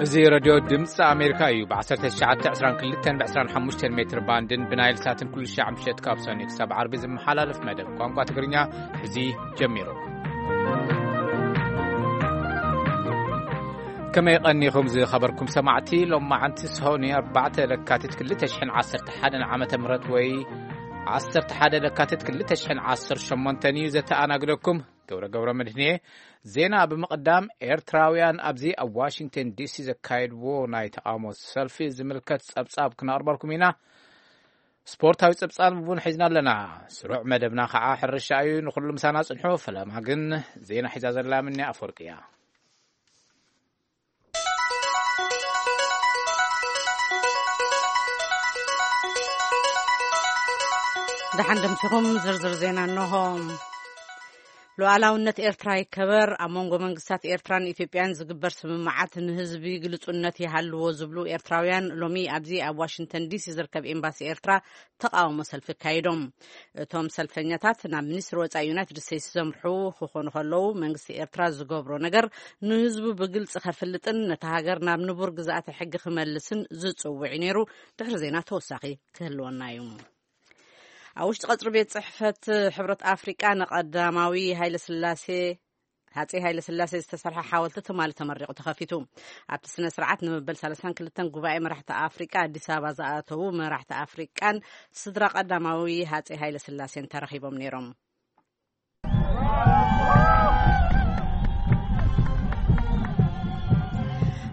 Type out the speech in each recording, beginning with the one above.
እዚ ሬድዮ ድምፂ ኣሜሪካ እዩ። ብ1922 ብ25 ሜትር ባንድን ብናይል ሳትን ኩሉ ሻዕ ምሸት ካብ ሰኒ ክሳብ ዓርቢ ዝመሓላለፍ መደብ ቋንቋ ትግርኛ ሕዚ ጀሚሩ። ከመይ ቀኒኹም ዝኸበርኩም ሰማዕቲ? ሎማዓንቲ ሰሆኒ ኣርባዕተ ለካቲት ክልተ ሽሕን ዓሰርተ ሓደን ዓመተ ምህረት ወይ ዓሰርተ ሓደ ለካቲት ክልተ ሽሕን ዓሰርተ ሸሞንተን እዩ። ዘተኣናግደኩም ገብረ ገብረ መድህንየ። ዜና ብምቕዳም፣ ኤርትራውያን ኣብዚ ኣብ ዋሽንግተን ዲሲ ዘካየድዎ ናይ ተቓውሞ ሰልፊ ዝምልከት ጸብጻብ ክነቕርበልኩም ኢና። ስፖርታዊ ጸብጻብ እውን ሒዝና ኣለና። ስሩዕ መደብና ኸዓ ሕርሻ እዩ። ንኹሉ ምሳና ጽንሑ። ፈለማ ግን ዜና ሒዛ ዘላ ምንያ ኣፈወርቂ እያ። ደሓን ደምሲኹም ዝርዝር ዜና እንሆ። ሉዓላውነት ኤርትራ ይከበር፣ ኣብ መንጎ መንግስታት ኤርትራን ኢትዮጵያን ዝግበር ስምምዓት ንህዝቢ ግልጹነት ይሃልዎ ዝብሉ ኤርትራውያን ሎሚ ኣብዚ ኣብ ዋሽንግተን ዲሲ ዝርከብ ኤምባሲ ኤርትራ ተቓውሞ ሰልፊ ኣካይዶም። እቶም ሰልፈኛታት ናብ ሚኒስትሪ ወጻኢ ዩናይትድ ስቴትስ ዘምርሑ ክኾኑ ከለዉ፣ መንግስቲ ኤርትራ ዝገብሮ ነገር ንህዝቡ ብግልጺ ከፍልጥን ነታ ሃገር ናብ ንቡር ግዝኣተ ሕጊ ክመልስን ዝጽውዕ እዩ ነይሩ። ድሕሪ ዜና ተወሳኺ ክህልወና እዩ። ኣብ ውሽጢ ቀጽሪ ቤት ጽሕፈት ሕብረት ኣፍሪቃ ንቀዳማዊ ሃይለ ስላሴ፣ ሃጼ ሃይለ ስላሴ ዝተሰርሐ ሓወልቲ ትማሊ ተመሪቑ ተኸፊቱ። ኣብቲ ስነ ስርዓት ንመበል ሰላሳን ክልተን ጉባኤ መራሕቲ ኣፍሪቃ ኣዲስ ኣበባ ዝኣተዉ መራሕቲ ኣፍሪቃን ስድራ ቀዳማዊ ሃጼ ሃይለ ስላሴን ተረኺቦም ነይሮም።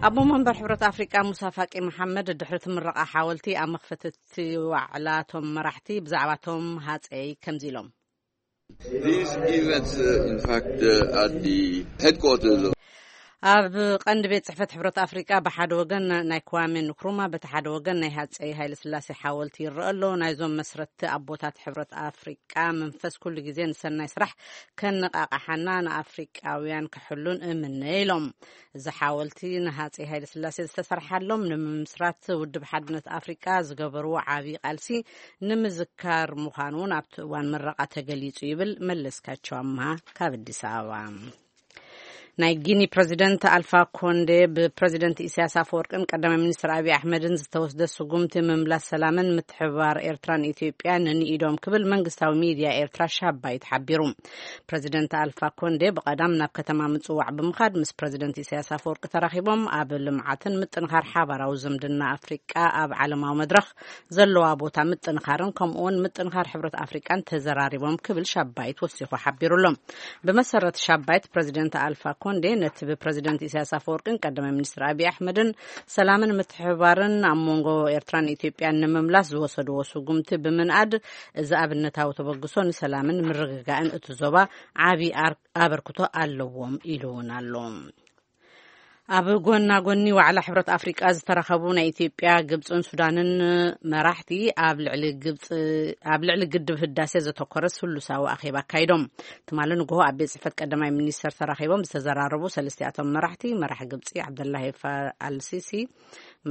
ኣቦ መንበር ሕብረት ኣፍሪቃ ሙሳ ፋቂ መሓመድ ድሕሪ እቲ ምረቓ ሓወልቲ ኣብ መኽፈቲ እቲ ዋዕላ እቶም መራሕቲ ብዛዕባ እቶም ሃጸይ ከምዚ ኢሎም። These events, uh, in fact, uh, at the headquarters of ኣብ ቀንዲ ቤት ጽሕፈት ሕብረት ኣፍሪቃ ብሓደ ወገን ናይ ክዋሜ ንክሩማ፣ በቲ ሓደ ወገን ናይ ሃጸይ ሃይለ ስላሴ ሓወልቲ ይረአ ኣሎ። ናይዞም መስረትቲ ኣቦታት ሕብረት ኣፍሪቃ መንፈስ ኩሉ ግዜ ንሰናይ ስራሕ ከነቃቃሓና ንኣፍሪቃውያን ክሕሉን እምነ ኢሎም። እዚ ሓወልቲ ንሃጸይ ሃይለ ስላሴ ዝተሰርሓሎም ንምምስራት ውድብ ሓድነት ኣፍሪቃ ዝገበርዎ ዓቢ ቃልሲ ንምዝካር ምዃኑ እውን ኣብቲ እዋን ምረቓ ተገሊጹ ይብል መለስካቸው ኣምሃ ካብ ኣዲስ ኣበባ። ናይ ጊኒ ፕረዚደንት ኣልፋ ኮንዴ ብፕረዚደንት ኢሳያስ ኣፈወርቅን ቀዳማይ ሚኒስትር ኣብይ ኣሕመድን ዝተወስደ ስጉምቲ ምምላስ ሰላምን ምትሕብባር ኤርትራን ኢትዮጵያን ንኢዶም ክብል መንግስታዊ ሚድያ ኤርትራ ሻባይት ሓቢሩ። ፕረዚደንት ኣልፋ ኮንዴ ብቐዳም ናብ ከተማ ምጽዋዕ ብምኻድ ምስ ፕረዚደንት ኢሳያስ ኣፈወርቂ ተራኺቦም ኣብ ልምዓትን ምጥንኻር ሓባራዊ ዝምድና ኣፍሪቃ ኣብ ዓለማዊ መድረኽ ዘለዋ ቦታ ምጥንኻርን ከምኡውን ምጥንኻር ሕብረት ኣፍሪቃን ተዘራሪቦም ክብል ሻባይት ወሲኹ ሓቢሩ ኣሎ። ብመሰረት ሻባይት ፕረዚደንት ኣልፋ ኮንዴ ነቲ ብፕረዚደንት ኢሳያስ ኣፈወርቅን ቀዳማይ ሚኒስትር ኣብይ ኣሕመድን ሰላምን ምትሕብባርን ኣብ መንጎ ኤርትራን ኢትዮጵያን ንምምላስ ዝወሰድዎ ስጉምቲ ብምንኣድ እዚ ኣብነታዊ ተበግሶ ንሰላምን ምርግጋእን እቲ ዞባ ዓቢ ኣር-፣ ኣበርክቶ ኣለዎም ኢሉ እውን ኣሎ። ኣብ ጎና ጎኒ ዋዕላ ሕብረት ኣፍሪቃ ዝተረኸቡ ናይ ኢትዮጵያ፣ ግብጽን ሱዳንን መራሕቲ ኣብ ልዕሊ ግብጽ-፣ ኣብ ልዕሊ ግድብ ህዳሴ ዘተኮረ ስሉሳዊ ኣኼባ ኣካይዶም። ትማሊ ንግሆ ኣብ ቤት ጽሕፈት ቀዳማይ ሚኒስተር ተራኺቦም ዝተዘራረቡ ሰለስቲኣቶም መራሕቲ፣ መራሒ ግብጺ ዓብደላሂ ፋ-፣ ኣልሲሲ፣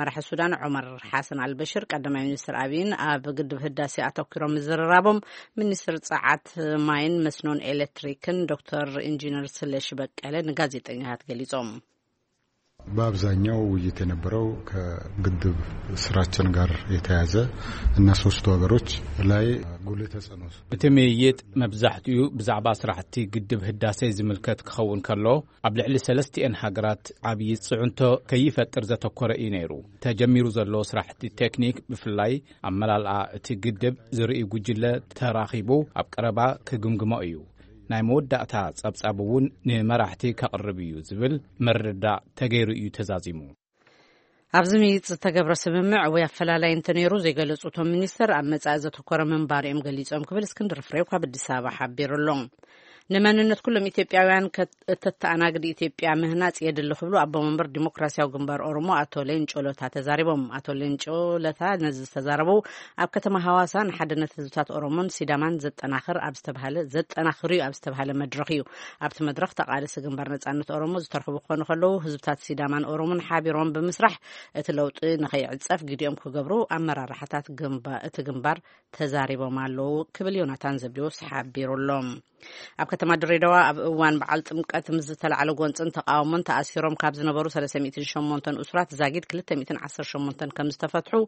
መራሒ ሱዳን ዑመር ሓሰን ኣልበሽር፣ ቀዳማይ ሚኒስትር ኣብይን ኣብ ግድብ ህዳሴ ኣተኲሮም ምዝርራቦም፣ ሚኒስትር ጸዓት፣ ማይን መስኖን ኤሌክትሪክን ዶክተር ኢንጂነር ስለሺ በቀለ ንጋዜጠኛታት ገሊጾም። በአብዛኛው ውይይት የነበረው ከግድብ ስራችን ጋር የተያያዘ እና ሶስቱ ሀገሮች ላይ ጉልህ ተጽዕኖ እቲ ምይይጥ መብዛሕትኡ ብዛዕባ ስራሕቲ ግድብ ህዳሴ ዝምልከት ክኸውን ከሎ፣ ኣብ ልዕሊ ሰለስቲኤን ሃገራት ዓብዪ ጽዕንቶ ከይፈጥር ዘተኮረ እዩ ነይሩ። ተጀሚሩ ዘሎ ስራሕቲ ቴክኒክ፣ ብፍላይ ኣመላልኣ እቲ ግድብ ዝርኢ ጉጅለ ተራኺቡ ኣብ ቀረባ ክግምግሞ እዩ። ናይ መወዳእታ ጸብጻብ እውን ንመራሕቲ ከቕርብ እዩ ዝብል ምርዳእ ተገይሩ እዩ ተዛዚሙ። ኣብዚ ምይይጥ ዝተገብረ ስምምዕ ወይ ኣፈላላይ እንተነይሩ ዘይገለጹ እቶም ሚኒስተር፣ ኣብ መጻኢ ዘተኮረ ምንባር እዮም ገሊጾም ክብል እስክንድር ፍሬው ካብ ኣዲስ ኣበባ ሓቢሩ ኣሎ። ንመንነት ኩሎም ኢትዮጵያውያን ከት-፣ እተተኣናግድ ኢትዮጵያ ምህናጽ የድሊ ክብሉ ኣቦ መንበር ዲሞክራሲያዊ ግንባር ኦሮሞ ኣቶ ሌንጮ ለታ ተዛሪቦም። ኣቶ ሌንጮ ለታ ነዚ ዝተዛረቡ ኣብ ከተማ ሃዋሳ ንሓድነት ህዝብታት ኦሮሞን ሲዳማን ዘጠናኽር ኣብ ዝተባህለ፣ ዘጠናኽር እዩ ኣብ ዝተባህለ መድረኽ እዩ። ኣብቲ መድረኽ ተቓለስቲ ግንባር ነጻነት ኦሮሞ ዝተረኽቡ ክኾኑ ከለዉ፣ ህዝብታት ሲዳማን ኦሮሞን ሓቢሮም ብምስራሕ እቲ ለውጢ ንኸይዕጸፍ ግዲኦም ክገብሩ ኣመራርሓታት ግንባ-፣ እቲ ግንባር ተዛሪቦም ኣለዉ ክብል ዮናታን ዘብዴዎስ ሓቢሩ ኣሎ። ኣብ ከተማ ድሬዳዋ ኣብ እዋን በዓል ጥምቀት ምስ ዝተላዕለ ጎንፅን ተቃውሞን ተኣሲሮም ካብ ዝነበሩ ሰለስተ ሚእትን ሸሞንተን እሱራት ዛጊድ ክልተ ሚእትን ዓሰርተ ሸሞንተን ከም ዝተፈትሑ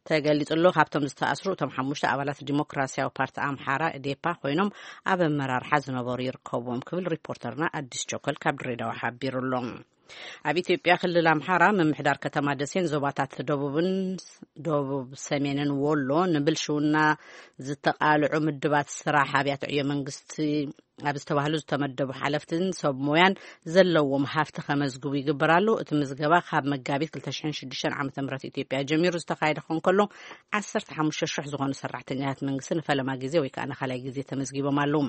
ተገሊጹ ኣሎ። ካብቶም ዝተኣስሩ እቶም ሓሙሽተ ኣባላት ዲሞክራሲያዊ ፓርቲ ኣምሓራ፣ ኤዴፓ፣ ኮይኖም ኣብ ኣመራርሓ ዝነበሩ ይርከብዎም ክብል ሪፖርተርና ኣዲስ ቸኮል ካብ ድሬዳዋ ሓቢሩ ኣሎ። ኣብ ኢትዮጵያ ክልል ኣምሓራ ምምሕዳር ከተማ ደሴን ዞባታት ደቡብን ደቡብ ሰሜንን ወሎ ንብልሽውና ዝተቃልዑ ምድባት ስራሕ ኣብያተ ዕዮ መንግስቲ ኣብ ዝተባህሉ ዝተመደቡ ሓለፍትን ሰብ ሞያን ዘለዎም ሃፍቲ ከመዝግቡ ይግበር ኣሎ። እቲ ምዝገባ ካብ መጋቢት ክልተ ሽሕን ሽዱሽተን ዓመተ ምህረት ኢትዮጵያ ጀሚሩ ዝተኻየደ ክኸውን ከሎ ዓሰርተ ሓሙሽተ ሽሕ ዝኾኑ ሰራሕተኛታት መንግስቲ ንፈለማ ግዜ ወይ ከዓ ንኻልኣይ ግዜ ተመዝጊቦም ኣለዉ።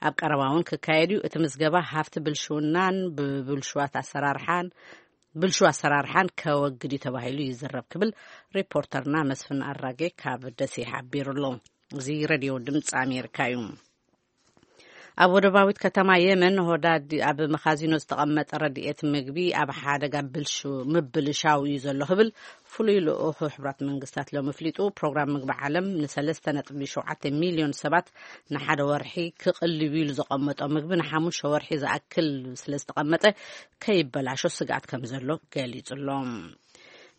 ኣብ ቀረባ እውን ክካየድ እዩ። እቲ ምዝገባ ሃፍቲ ብልሽውናን ብብልሽዋት ኣሰራርሓን ብልሹ ኣሰራርሓን ከወግድ እዩ ተባሂሉ ይዝረብ ክብል ሪፖርተርና መስፍን ኣራጌ ካብ ደሴ ሓቢሩ ኣሎ። እዚ ሬድዮ ድምፂ ኣሜሪካ እዩ። ኣብ ወደባዊት ከተማ የመን ሆዳድ ኣብ መኻዚኖ ዝተቐመጠ ረድኤት ምግቢ ኣብ ሓደጋ ብልሹ ምብልሻው እዩ ዘሎ ክብል ፍሉይ ልኡኽ ሕቡራት መንግስታት ሎም ኣፍሊጡ። ፕሮግራም ምግቢ ዓለም ንሰለስተ ነጥቢ ሸውዓተ ሚልዮን ሰባት ንሓደ ወርሒ ክቕልብ ኢሉ ዘቐመጦ ምግቢ ንሓሙሽተ ወርሒ ዝኣክል ስለ ዝተቐመጠ ከይበላሾ ስግኣት ከም ዘሎ ገሊጹ ኣሎ።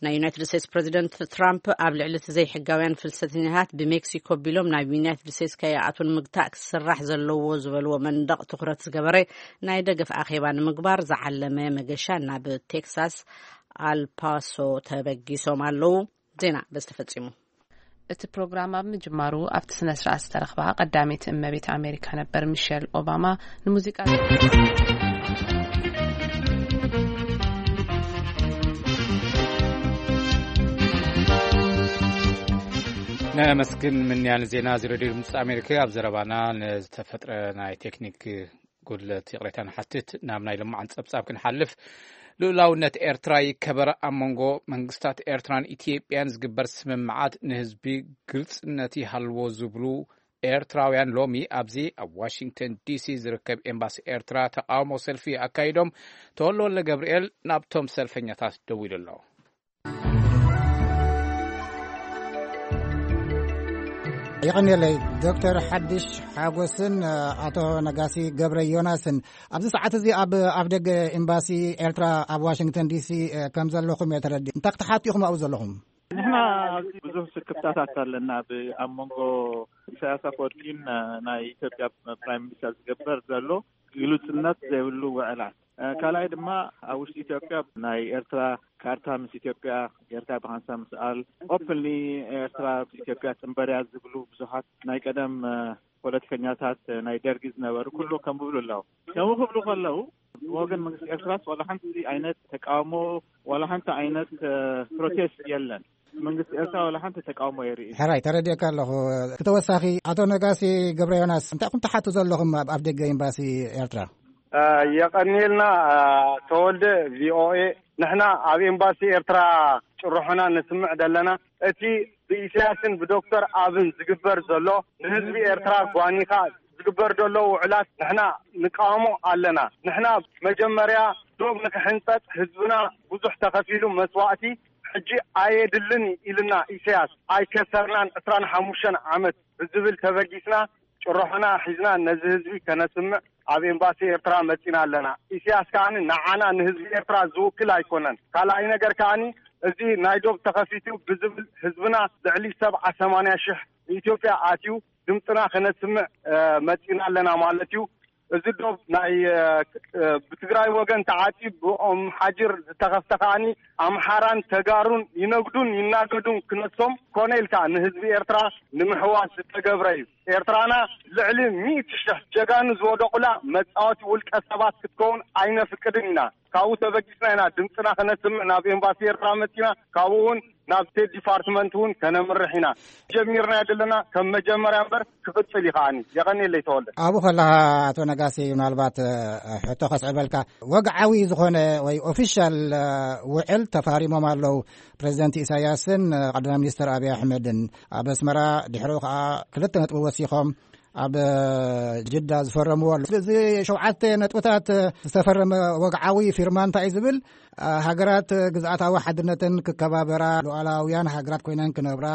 ናይ ዩናይትድ ስቴትስ ፕሬዚደንት ትራምፕ ኣብ ልዕሊ እቲ ዘይሕጋውያን ፍልሰተኛታት ብሜክሲኮ ቢሎም ናብ ዩናይትድ ስቴትስ ከይኣትዉ ንምግታእ ክስራሕ ዘለዎ ዝበልዎ መንደቕ ትኹረት ዝገበረ ናይ ደገፍ ኣኼባ ንምግባር ዝዓለመ መገሻ ናብ ቴክሳስ ኣልፓሶ ተበጊሶም ኣለዉ። ዜና በዚ ተፈጺሙ። እቲ ፕሮግራም ኣብ ምጅማሩ ኣብቲ ስነ ስርዓት ዝተረኽባ ቀዳመይቲ እመቤት ኣሜሪካ ነበር ሚሸል ኦባማ ንሙዚቃ ነመስግን ምንያን ዜና እዚ ሬድዮ ድምፂ ኣሜሪካ። ኣብ ዘረባና ንዝተፈጥረ ናይ ቴክኒክ ጉድለት ይቕሬታ ንሓትት። ናብ ናይ ልማዓን ጸብጻብ ክንሓልፍ፣ ልኡላውነት ኤርትራ ይከበር፣ ኣብ መንጎ መንግስታት ኤርትራን ኢትዮጵያን ዝግበር ስምምዓት ንህዝቢ ግልጽነት ይሃልዎ ዝብሉ ኤርትራውያን ሎሚ ኣብዚ ኣብ ዋሽንግተን ዲሲ ዝርከብ ኤምባሲ ኤርትራ ተቃውሞ ሰልፊ ኣካይዶም። ተወልደ ወልደ ገብርኤል ናብቶም ሰልፈኛታት ደዊሉ ኣሎ። ይቐንየለይ። ዶክተር ሓድሽ ሓጎስን ኣቶ ነጋሲ ገብረ ዮናስን ኣብዚ ሰዓት እዚ ኣብ ኣፍ ደገ ኤምባሲ ኤርትራ ኣብ ዋሽንግተን ዲሲ ከም ዘለኹም እየ ተረዲእ። እንታይ ክትሓቱ ኢኹም ኣብኡ ዘለኹም? ንሕና ኣብዚ ብዙሕ ስክፍታታት ኣለና፣ ኣብ መንጎ ኢሳያስ ኣፈወርቂን ናይ ኢትዮጵያ ፕራይም ሚኒስተር ዝግበር ዘሎ ግሉጽነት ዘይብሉ ውዕላት። ካልኣይ ድማ ኣብ ውሽጢ ኢትዮጵያ ናይ ኤርትራ ካርታ ምስ ኢትዮጵያ ጌርካ ብሓንሳብ ምስኣል፣ ኦፕንሊ ኤርትራ ምስ ኢትዮጵያ ጥንበርያ ዝብሉ ብዙሓት ናይ ቀደም ፖለቲከኛታት ናይ ደርጊ ዝነበሩ ኩሉ ከም ብብሉ ኣለዉ። ከምኡ ክብሉ ከለዉ ብወገን መንግስቲ ኤርትራስ ዋላ ሓንቲ ዓይነት ተቃውሞ፣ ዋላ ሓንቲ ዓይነት ፕሮቴስት የለን። መንግስቲ ኤርትራ ዋላ ሓንቲ ተቃውሞ የርኢ። ሕራይ፣ ተረዲእካ ኣለኹ። ክተወሳኺ ኣቶ ነጋሲ ገብረ ዮናስ እንታይ ኢኹም ትሓቱ ዘለኹም ኣብ ኣፍ ደገ ኤምባሲ ኤርትራ? የቐንየልና ተወልደ። ቪኦኤ፣ ንሕና ኣብ ኤምባሲ ኤርትራ ጭርሖና ነስምዕ ዘለና። እቲ ብኢሳያስን ብዶክተር ኣብን ዝግበር ዘሎ ንህዝቢ ኤርትራ ጓኒኻ ዝግበር ዘሎ ውዕላት ንሕና ንቃወሞ ኣለና። ንሕና መጀመርያ ዶብ ንክሕንጸጥ ህዝብና ብዙሕ ተኸፊሉ መስዋእቲ ሕጂ ኣየድልን ኢልና ኢሳያስ። ኣይከሰርናን ዕስራን ሓሙሽተን ዓመት ብዝብል ተበጊስና ጭርሖና ሒዝና ነዚ ህዝቢ ከነስምዕ ኣብ ኤምባሲ ኤርትራ መጺና ኣለና። ኢሳያስ ከኣ ንዓና ንህዝቢ ኤርትራ ዝውክል ኣይኮነን። ካልኣይ ነገር ከኣ እዚ ናይ ዶብ ተኸፊቱ ብዝብል ህዝብና ልዕሊ ሰብዓ ሰማንያ ሽሕ ንኢትዮጵያ ኣትዩ ድምፅና ከነስምዕ መፂና ኣለና ማለት እዩ። እዚ ዶብ ናይ ብትግራይ ወገን ተዓፂ ብኦም ሓጅር ዝተኸፍተ ከዓኒ ኣምሓራን ተጋሩን ይነግዱን ይናገዱን ክነሶም ኮነ ኢልካ ንህዝቢ ኤርትራ ንምሕዋስ ዝተገብረ እዩ። ኤርትራና ልዕሊ ሚእቲ ሽሕ ጀጋኑ ዝወደቑላ መፃወቲ ውልቀ ሰባት ክትከውን ኣይነፍቅድን ኢና። ካብኡ ተበጊስና ኢና ድምፅና ከነስምዕ ናብ ኤምባሲ ኤርትራ መፂና። ካብኡ እውን ናብ ስቴት ዲፓርትመንት እውን ከነምርሕ ኢና። ጀሚርና ዘለና ከም መጀመርያ እምበር ክቕፅል እዩ ከዓኒ። የቐንየለይ ተወልደ። ኣብኡ ከለኻ ኣቶ ነጋሲ ምናልባት ሕቶ ከስዕበልካ፣ ወግዓዊ ዝኾነ ወይ ኦፊሻል ውዕል ተፋሪሞም ኣለዉ ፕሬዚደንት ኢሳያስን ቀዳማይ ሚኒስትር ኣብይ ኣሕመድን። ኣብ ኣስመራ ድሕሪኡ ከዓ ክልተ ነጥቢ ወሲኾም ኣብ ጅዳ ዝፈረምዎ ኣሎ። ስለዚ ሸውዓተ ነጥብታት ዝተፈረመ ወግዓዊ ፊርማ እንታይ እዩ ዝብል፣ ሃገራት ግዝኣታዊ ሓድነተን ክከባበራ፣ ሉዓላውያን ሃገራት ኮይነን ክነብራ፣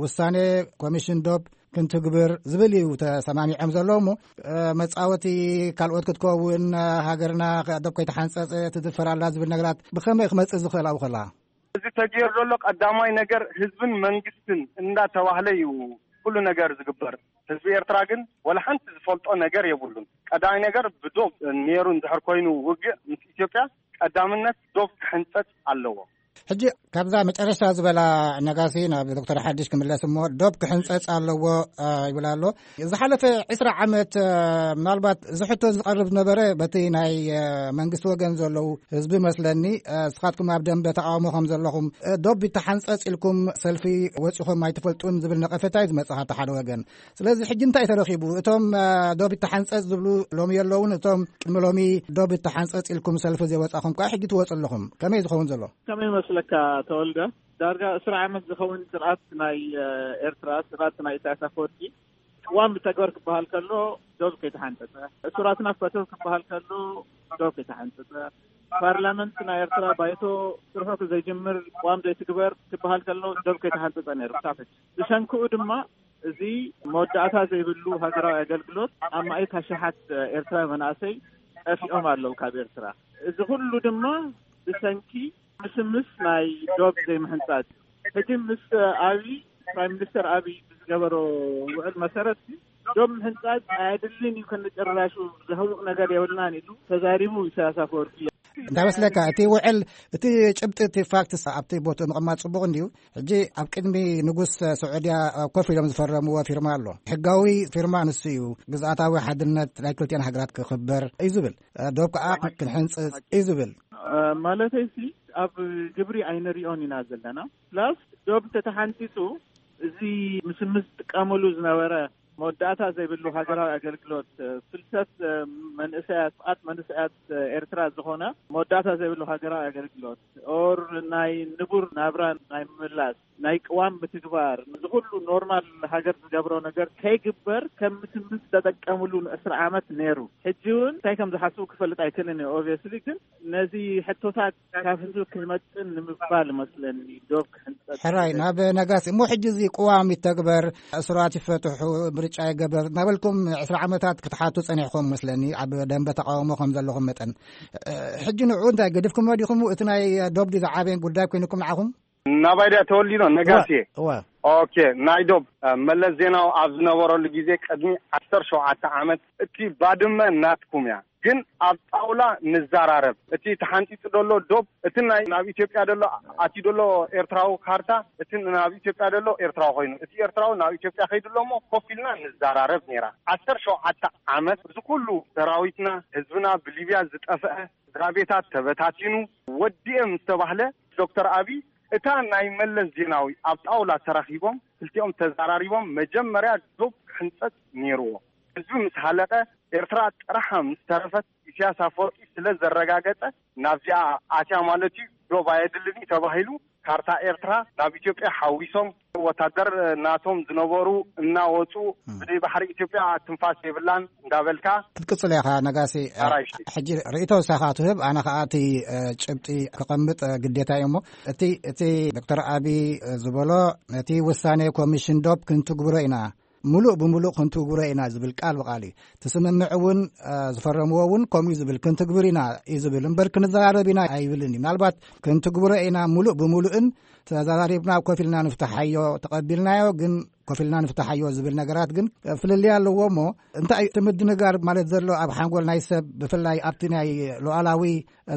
ውሳኔ ኮሚሽን ዶብ ክንትግብር ዝብል እዩ ተሰማሚዖም ዘለዉ። እሞ መፃወቲ ካልኦት ክትከውን፣ ሃገርና ዶብ ከይተሓንፀፀ ትድፈር ኣላ ዝብል ነገራት ብኸመይ ክመፅእ ዝኽእል ኣብኡ ከላ? እዚ ተገይሩ ዘሎ ቀዳማይ ነገር ህዝብን መንግስትን እንዳተባህለ እዩ ኩሉ ነገር ዝግበር። ህዝቢ ኤርትራ ግን ወላ ሓንቲ ዝፈልጦ ነገር የብሉን። ቀዳማይ ነገር ብዶብ ነይሩ እንድሕር ኮይኑ ውግእ ምስ ኢትዮጵያ ቀዳምነት ዶብ ክሕንፀፅ ኣለዎ። ሕጂ ካብዛ መጨረሻ ዝበላ ነጋሲ ናብ ዶክተር ሓድሽ ክምለስ እሞ፣ ዶብ ክሕንፀፅ ኣለዎ ይብል ኣሎ። ዝሓለፈ ዕስራ ዓመት ምናልባት እዚ ሕቶ ዝቐርብ ዝነበረ በቲ ናይ መንግስቲ ወገን ዘለዉ ህዝቢ መስለኒ። እስኻትኩም ኣብ ደንበ ተቃውሞ ከም ዘለኹም፣ ዶብ ይተሓንፀፅ ኢልኩም ሰልፊ ወፂኹም ኣይትፈልጡን ዝብል ነቐፈታ እዩ ዝመፅእ ካብቲ ሓደ ወገን። ስለዚ ሕጂ እንታይ ተረኺቡ? እቶም ዶብ ይተሓንፀፅ ዝብሉ ሎሚ የለውን፣ እቶም ቅድሚ ሎሚ ዶብ ይተሓንፀፅ ኢልኩም ሰልፊ ዘይወፃኹም ከዓ ሕጂ ትወፁ ኣለኹም። ከመይ ዝኸውን ዘሎ? ከመይ መስለካ ተወልደ? ዳርጋ ዕስራ ዓመት ዝኸውን ስርዓት ናይ ኤርትራ፣ ስርዓት ናይ ኢሳያስ ኣፈወርቂ፣ ቅዋም ብተግባር ክበሃል ከሎ ዶብ ከይተሓንፀፀ፣ እሱራትና ፈተው ክበሃል ከሎ ዶብ ከይተሓንፀፀ፣ ፓርላመንት ናይ ኤርትራ ባይቶ ስርሑ ዘይጅምር፣ ቅዋም ዘይትግበር ክበሃል ከሎ ዶብ ከይተሓንፀፀ ነይሩ ክሳብ ሕጂ። ብሰንክኡ ድማ እዚ መወዳእታ ዘይብሉ ሃገራዊ ኣገልግሎት ኣብ ማእት ኣሽሓት ኤርትራዊ መናእሰይ ጠፊኦም ኣለዉ ካብ ኤርትራ። እዚ ኩሉ ድማ ብሰንኪ ምስምስ ናይ ዶብ ዘይምሕንጻጽ። ሕጂ ምስ ኣብይ፣ ፕራይም ሚኒስተር ኣብይ ብዝገበሮ ውዕል መሰረት ዶብ ምሕንጻጽ ኣየድልን እዩ፣ ከነጨራሹ ዘህውቕ ነገር የብልናን ኢሉ ተዛሪቡ ኢሳያስ ኣፈወርቂ። እንታይ መስለካ፣ እቲ ውዕል፣ እቲ ጭብጢ፣ እቲ ፋክትስ ኣብቲ ቦትኡ ምቕማጥ ጽቡቕ እንድዩ። ሕጂ ኣብ ቅድሚ ንጉስ ስዑድያ ኮፍ ኢሎም ዝፈረምዎ ፊርማ ኣሎ። ሕጋዊ ፊርማ ንሱ እዩ። ግዝኣታዊ ሓድነት ናይ ክልቲኣን ሃገራት ክኽበር እዩ ዝብል። ዶብ ከዓ ክንሕንጽጽ እዩ ዝብል። ማለተይሲ ኣብ ግብሪ ኣይንሪኦን ኢና ዘለና። ፕላስ ዶብ ተተሓንፂፁ እዚ ምስምስ ዝጥቀመሉ ዝነበረ መወዳእታ ዘይብሉ ሃገራዊ ኣገልግሎት፣ ፍልሰት መንእሰያት፣ ጥቓት መንእሰያት ኤርትራ ዝኾነ መወዳእታ ዘይብሉ ሃገራዊ ኣገልግሎት፣ ኦር ናይ ንቡር ናብራ ናይ ምምላስ፣ ናይ ቅዋም ምትግባር፣ እዚ ኩሉ ኖርማል ሃገር ዝገብሮ ነገር ከይግበር ከም ምስምስ ተጠቀምሉ ንዕስራ ዓመት ነይሩ። ሕጂ እውን እንታይ ከም ዝሓስቡ ክፈልጥ ኣይክእልን እየ። ኦብቪየስሊ ግን ነዚ ሕቶታት ካብ ህዝቢ ክመጥን ንምባል መስለኒ ዶብ ክሕንጸጽ ሕራይ ዝብል። ናብ ነጋሲ እሞ፣ ሕጂ እዚ ቅዋም ይተግበር፣ እሱራት ይፈትሑ፣ ምርጫ ይገበር እናበልኩም ዕስራ ዓመታት ክትሓቱ ጸኒሕኩም መስለኒ፣ ኣብ ደንበ ተቃውሞ ከም ዘለኹም መጠን። እ፣ ሕጂ ንዕኡ እንታይ ገዲፍኩም ወዲኹም? እቲ ናይ ዶብ ድዩ ዝዓበየ ጉዳይ ኮይኑኩም ንዓኹም? ናባይ ድያ ተወሊዶ ነጋሲ? እወ፣ እወ። ኦኬ፣ ናይ ዶብ፣ እ፣ መለስ ዜናዊ ኣብ ዝነበረሉ ግዜ ቅድሚ ዓሰርተ ሸውዓተ ዓመት እቲ ባድመ ናትኩም እያ። ግን ኣብ ጣውላ ንዘራረብ። እቲ ተሓንጺጹ ደሎ ዶብ፣ እቲ ናይ ናብ ኢትዮጵያ ደሎ ኣትዩ ደሎ ኤርትራዊ ካርታ፣ እቲ ናብ ኢትዮጵያ ደሎ ኤርትራዊ ኮይኑ፣ እቲ ኤርትራዊ ናብ ኢትዮጵያ ከይዱ ኣሎ እሞ ኮፍ ኢልና ንዘራረብ ነይራ። ዓሰርተ ሸውዓተ ዓመት እዚ ኩሉ ሰራዊትና፣ ህዝብና ብሊብያ ዝጠፍአ፣ ስድራ ቤታት ተበታቲኑ፣ ወዲኤ ምስ ተባህለ፣ ዶክተር ኣቢ እታ ናይ መለስ ዜናዊ ኣብ ጣውላ ተራኺቦም ክልቲኦም ተዘራሪቦም መጀመርያ ዶብ ክሕንጸጽ ነይርዎ። ህዝቢ ምስ ሃለቀ፣ ኤርትራ ጥራሓ ምስ ተረፈት፣ ኢሳያስ ኣፈወርቂ ስለ ዘረጋገጸ፣ ናብዚኣ ኣትያ ማለት እዩ፣ ዶብ ኣየድልን እዩ ተባሂሉ፣ ካርታ ኤርትራ ናብ ኢትዮጵያ ሓዊሶም፣ ወታደር ናቶም ዝነበሩ እናወጹ፣ እም። ብዘይ ባሕሪ ኢትዮጵያ ትንፋስ የብላን እንዳበልካ ክትቅጽል ኢኻ ነጋሲ። ኣራይሽ። ሕጂ ርእይቶ ንስኻ ትህብ፣ ኣነ ኸኣ እቲ፣ እ፣ ጭብጢ ክቐምጥ፣ እ፣ ግዴታ እዩ። እሞ እቲ፣ እቲ ዶክተር ኣቢ ዝበሎ፣ ነቲ ውሳኔ ኮሚሽን ዶብ ክንትግብሮ ኢና፣ ምሉእ ብምሉእ ክንትግብሮ ኢና ዝብል ቃል ብቃል እዩ። እቲ ስምምዕ እውን፣ እ፣ ዝፈረምዎ እውን ከምኡ እዩ ዝብል፣ ክንትግብር ኢና እዩ ዝብል እምበር ክንዘራረብ ኢና ኣይብልን እዩ። ምናልባት ክንትግብሮ ኢና ምሉእ ብምሉእን ተዘራሪብና ኮፍ ኢልና ንፍትሓዮ፣ ተቐቢልናዮ ግን ኮፍ ኢልና ንፍትሓዮ ዝብል ነገራት ግን ፍልልይ ኣለዎ። እሞ እንታይ እቲ ምድንጋር ማለት ዘሎ ኣብ ሓንጎል ናይ ሰብ፣ ብፍላይ ኣብቲ ናይ ሉዓላዊ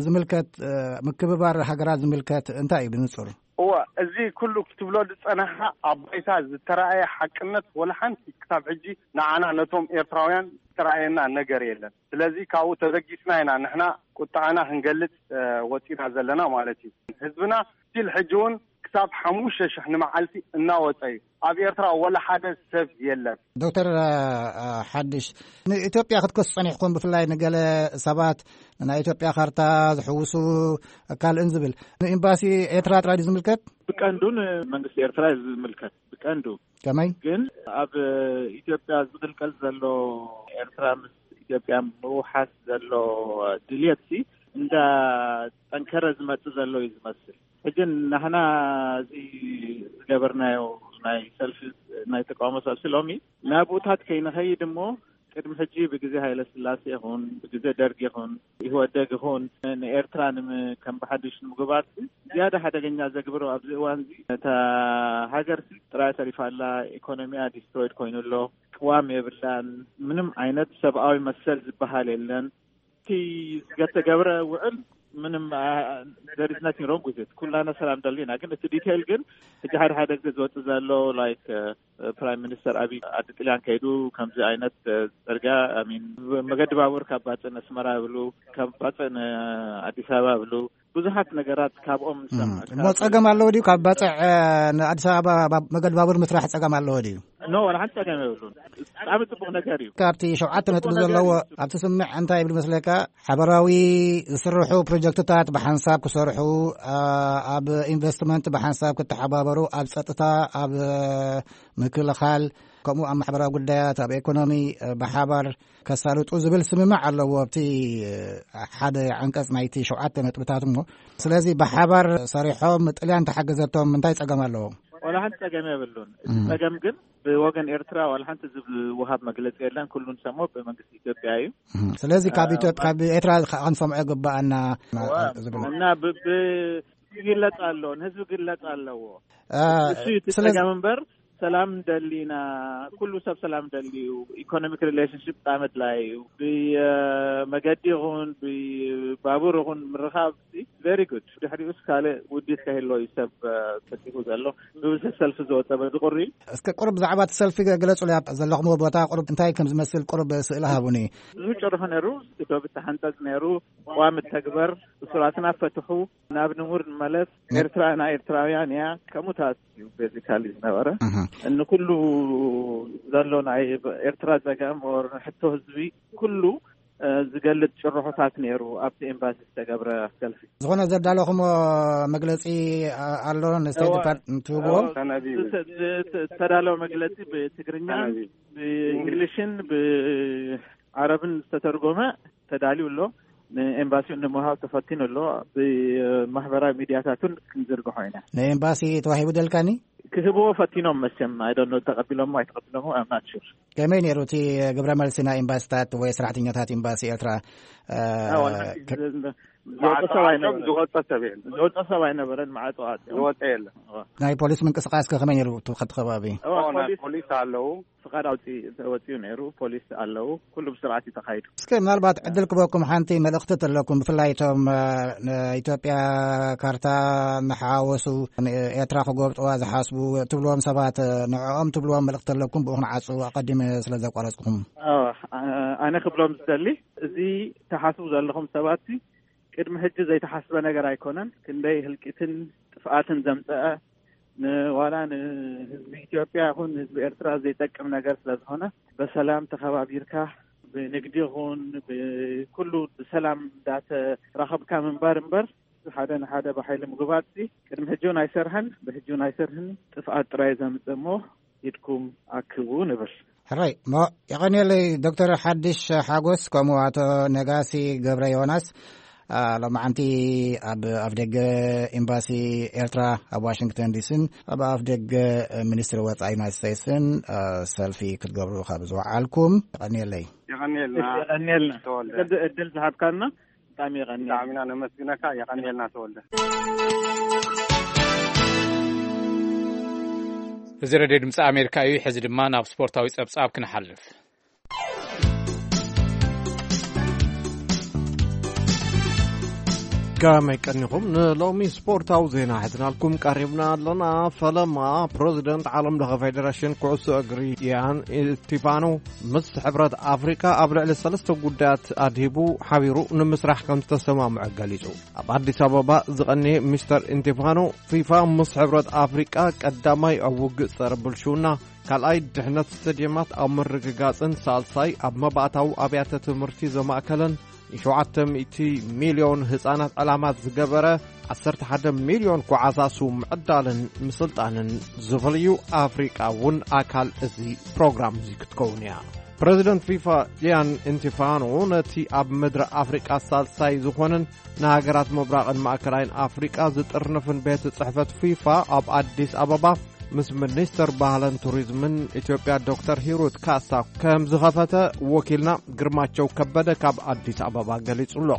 ዝምልከት፣ እ፣ ምክብባር ሃገራት ዝምልከት እንታይ እዩ ብንጹር? እወ፣ እዚ ኩሉ ክትብሎ ዝጸናሕካ ኣብ ባይታ ዝተራእየ ሓቅነት ወላ ሓንቲ ክሳብ ሕጂ ንዓና ነቶም ኤርትራውያን ዝተራእየና ነገር የለን። ስለዚ ካብኡ ተበጊስና ኢና ንሕና ቁጥዓና ክንገልጽ፣ እ፣ ወጺና ዘለና ማለት እዩ። ህዝብና ስቲል ሕጂ እውን ክሳብ ሓሙሽተ ሽሕ ንመዓልቲ እናወጸ እዩ። ኣብ ኤርትራ ወላ ሓደ ሰብ የለን። ዶክተር፣ እ፣ ሓድሽ፣ ንኢትዮጵያ ክትከሱ ጸኒሕኩም፣ ብፍላይ ንገለ ሰባት ናይ ኢትዮጵያ ካርታ ዝሕውሱ ካልእን ዝብል፣ ንኤምባሲ ኤርትራ ጥራይ ድዩ ዝምልከት? ብቀንዱ ንመንግስቲ ኤርትራ እዩ ዝምልከት፣ ብቀንዱ። ከመይ? ግን ኣብ ኢትዮጵያ ዝቕልቀል ዘሎ፣ ኤርትራ ምስ ኢትዮጵያ ምውሓስ ዘሎ ድልየትሲ እንዳጠንከረ ዝመጽእ ዘሎ እዩ ዝመስል። ሕጂ ናህና እዚ ዝገበርናዮ ናይ ሰልፊ፣ ናይ ተቃውሞ ሰልፊ ሎሚ ናብኡታት ከይንኸይድ እሞ፣ ቅድሚ ሕጂ ብግዜ ሃይለ ስላሴ ይኹን ብግዜ ደርግ ይኹን ኢህወደግ ይኹን ንኤርትራ ንም-፣ ከም ብሓድሽ ንምግባር ዝያዳ ሓደገኛ ዘግብሮ ኣብዚ እዋን እዚ፣ እታ ሃገር ጥራይ ተሪፋ ኣላ። ኢኮኖሚያ ዲስትሮይድ ኮይኑ ኣሎ። ቅዋም የብላን። ምንም ዓይነት ሰብኣዊ መሰል ዝበሃል የለን። እቲ ዝተገብረ ውዕል ምንም፣ there is nothing wrong with it። ኩላና ሰላም ደሊና፣ ግን እቲ ዲቴይል ግን ሕጂ ሓደ ሓደ ግዜ ዝወጽእ ዘሎ፣ ላይክ፣ ፕራይም ሚኒስተር ኣቢይ ዓዲ ጥልያን ከይዱ ከምዚ ዓይነት፣ እ፣ ጽርግያ፣ I mean፣ መገዲ ባቡር ካብ ባጽዕ ንኣስመራ ይብሉ፣ ካብ ባጽዕ ንኣዲስ ኣበባ ይብሉ። ብዙሓት ነገራት ካብኦም ንሰምዕ። እሞ ካብ ጸገም ኣለዎ ድዩ? ካብ ባጽዕ፣ እ፣ ንኣዲስ ኣበባ ባ-፣ መገዲ ባቡር ምስራሕ ጸገም ኣለዎ ድዩ? ኖ፣ ዋላ ሓንቲ ጸገም የብሉን። ብጣዕሚ ጽቡቕ ነገር እዩ። ካብቲ ሸውዓተ ነጥቢ ዘለዎ ኣብቲ ስምዕ እንታይ ይብል መስለካ? ሓበራዊ ዝስርሑ ፕሮጀክትታት ብሓንሳብ ክሰርሑ፣ ኣ፣ ኣብ ኢንቨስትመንት ብሓንሳብ ክተሓባበሩ፣ ኣብ ጸጥታ፣ ኣብ ምክልኻል፣ ከምኡ ኣብ ማሕበራዊ ጉዳያት፣ ኣብ ኢኮኖሚ፣ እ፣ ብሓባር ከሳልጡ ዝብል ስምምዕ ኣለዎ ኣብቲ፣ እ፣ ሓደ ዓንቀጽ ናይቲ ሸውዓተ ነጥብታት እሞ። ስለዚ ብሓባር ሰሪሖም ጥልያን ተሓገዘቶም እንታይ ጸገም ኣለዎ? ዋላ ሓንቲ ጸገም የብሉን። እቲ እም። ጸገም ግን ብወገን ኤርትራ ዋላ ሓንቲ ዝወሃብ መግለጺ የለን። ኩሉ ንሰምዖ ብመንግስቲ ኢትዮጵያ እዩ። እም። ስለዚ ካብ እ፣ ኢትዮጵያ፣ ካብ ኤርትራ ከ-፣ ክንሰምዖ ይግባኣና እዋ፣ ዝብል። እና ብ-፣ ብ-፣ ይግለጽ ኣሎ፣ ንህዝቢ ይግለጽ ኣለዎ። እ፣ እሱ እዩ እቲ ስለዚ ጸገም እምበር፣ ሰላም ደሊና፣ ኩሉ ሰብ ሰላም ደልዩ፣ ኢኮኖሚክ ሪሌሽንሽፕ ብጣዕሚ ኣድላይ እዩ። ብመገዲ ይኹን ብባቡር ይኹን ምርኻብ ቨሪ ጉድ። ድሕሪኡስ ካልእ ውዲት ከህሎ እዩ ሰብ፣ እ፣ ፈቲኹ ዘሎ። ብብዝሒ ሰልፊ ዝወጸ በዚ ቁሪ። እስከ ቁሩብ ብዛዕባ እቲ ሰልፊ ገ-፣ ግለጹለይ። ኣብ ዘለኹምዎ ቦታ ቁሩብ እንታይ ከም ዝመስል ቁሩብ ስእሊ ሃቡኒ። ብዙሕ ጭርሖ ነይሩ፣ እቲ ዶብ ተሓንጸጽ ነይሩ፣ ቅዋም ተግበር፣ እሱራትና ፈትሑ፣ ናብ ንቡር ንመለስ፣ ነ- ኤርትራ ናይ ኤርትራውያን እያ፣ ከምኡታት እዩ ቤዚካሊ ዝነበረ። እህ። እንኩሉ ዘሎ ናይ ኤርትራ ጸገም ኦር ሕቶ ህዝቢ ኩሉ፣ እ፣ ዝገልጽ ጭርሖታት ነይሩ ኣብቲ ኤምባሲ ዝተገብረ ሰልፊ። ዝኾነ ዘዳለኹሞ መግለጺ፣ ኣ-፣ ኣሎ ንስቴት እዋ፣ ዲፓርትመንት ትህብዎ? እዋ፣ ተነቢቡ። ዝተ-፣ ዝተ-፣ ዝተዳለወ መግለጺ ብትግርኛ፣ ተነቢቡ። ብእንግሊሽን ብዓረብን ዝተተርጎመ ተዳልዩ ኣሎ። ንኤምባሲኡ ንምሃብ ተፈቲኑ ኣሎ። ብማሕበራዊ ሚድያታቱን ክንዝርግሖ ኢና። ንኤምባሲ ተዋሂቡ ደልካኒ? ክህብዎ ፈቲኖም መቸም፣ I don't know፣ ተቐቢሎሞ ኣይተቐቢሎሞ፣ I'm not sure። ከመይ ነይሩ እቲ ግብረ መልሲ ናይ ኤምባሲታት ወይ ሰራሕተኛታት ኤምባሲ ኤርትራ? እ፣ ኣዎ፣ ክ- ዝወፀ ሰብ ኣይነበረን። ዝወፀ ሰብ የለን። ዝወፀ ሰብ ኣይነበረን፣ ማዕጾ ኣጽዮም። ዝወፀ የለን። ኣዎ። ናይ ፖሊስ ምንቅስቃስ ከ ከመይ ነይሩ? እቲ ኸቲ ከባቢ? ኣዎ፣ ኣዎ፣ ናይ ፖሊስ ፖሊስ ኣለዉ። ፍቓድ ኣውፂ-፣ ተወፂኡ ነይሩ፣ ፖሊስ ኣለዉ፣ ኩሉ ብስርዓት እዩ ተኻይዱ። እስከ ምናልባት ዕድል ክበኩም ሓንቲ መልእኽቲ ተለኩም፣ ብፍላይ እቶም፣ እ፣ ንኢትዮጵያ ካርታ እናሓዋወሱ ንኤርትራ ክጎብጥዋ ዝሓስቡ ትብልዎም ሰባት፣ እ፣ ንዕኦም ትብልዎም መልእኽቲ ተለኩም ብኡ ክንዓጹ ኣቐዲመ ስለ ዘቋረጽኩም። ኣዎ፣ ኣ-፣ ኣነ ክብሎም ዝደሊ፣ እዚ ተሓስቡ ዘለኹም ሰባት ቅድሚ ሕጂ ዘይተሓስበ ነገር ኣይኮነን። ክንደይ ህልቂትን ጥፍኣትን ዘምፀአ፣ ንዋላ ንህዝቢ ኢትዮጵያ ይኹን ንህዝቢ ኤርትራ ዘይጠቅም ነገር ስለ ዝኾነ፣ በሰላም ተኸባቢርካ ብንግዲ ይኹን ብኩሉ ብሰላም እንዳተራኸብካ ምንባር እምበር፣ ሓደ ንሓደ ብሓይሊ ምግባጽ ቅድሚ ሕጂ እውን ኣይሰርሐን፣ ብሕጂ እውን ኣይሰርሕን። ጥፍኣት ጥራይ ዘምጽእ እሞ ኢድኩም ኣክቡ ንብል። ሕራይ እሞ፣ የቐንየለይ ዶክተር ሓድሽ ሓጎስ፣ ከምኡ ኣቶ ነጋሲ ገብረ ዮናስ፣ ኣ፣ ሎማዓንቲ ኣብ ኣፍደገ ኤምባሲ ኤርትራ ኣብ ዋሽንግተን ዲሲን ኣብ ኣፍደገ ሚኒስትሪ ወጻኢ ዩናይትድ ስቴትስን፣ ኣ፣ ሰልፊ ክትገብሩ ካብ ዝወዓልኩም፣ የቐንየለይ። የቐንየልና። እሺ፣ የቐንየልና። ተወልደ። ቅዲ ዕድል ዝሃብካና ብጣዕሚ የቐንየልና። ብጣዕሚ ኢና ነመስግነካ። የቐንየልና ተወልደ። እዚ ሬድዮ ድምፂ ኣሜሪካ እዩ። ሕዚ ድማ ናብ ስፖርታዊ ጸብጻብ ክንሓልፍ። ከመይ ቀኒኹም? ንሎሚ ስፖርታዊ ዜና ሒዝናልኩም ቀሪብና ኣለና። ፈለማ ፕረዚደንት ዓለም ለኸ ፌደሬሽን ኩዕሶ እግሪ ያን ኢንቲፋኖ ምስ ሕብረት ኣፍሪቃ ኣብ ልዕሊ ሰለስተ ጉዳያት ኣድሂቡ ሓቢሩ ንምስራሕ ከም ዝተሰማምዐ ገሊጹ። ኣብ ኣዲስ ኣበባ ዝቐነየ ሚስተር ኢንቲፋኖ፣ ፊፋ ምስ ሕብረት ኣፍሪቃ ቀዳማይ ኣብ ውግእ ጸረ ብልሽውና፣ ካልኣይ ድሕነት ስቴድየማት ኣብ ምርግጋጽን ሳልሳይ ኣብ መባእታዊ ኣብያተ ትምህርቲ ዘማእከለን ንሸውዓተ ሚእቲ ሚልዮን ህጻናት ዕላማ ዝገበረ ዓሰርተ ሓደ ሚልዮን ጓዓዛሱ ምዕዳልን ምስልጣንን ዝፈልዩ ኣፍሪቃ እውን ኣካል እዚ ፕሮግራም እዚ ክትከውን እያ። ፕረዚደንት ፊፋ ጂያን ኢንቲፋኖ ነቲ ኣብ ምድሪ ኣፍሪቃ ሳልሳይ ዝኾነን ንሃገራት ምብራቕን ማእከላይን ኣፍሪቃ ዝጥርንፍን ቤት ጽሕፈት ፊፋ ኣብ ኣዲስ ኣበባ ምስ ሚኒስተር ባህልን ቱሪዝምን ኢትዮጵያ ዶክተር ሂሩት ካሳ ከም ዝኸፈተ ወኪልና ግርማቸው ከበደ ካብ ኣዲስ ኣበባ ገሊጹ ኣሎ።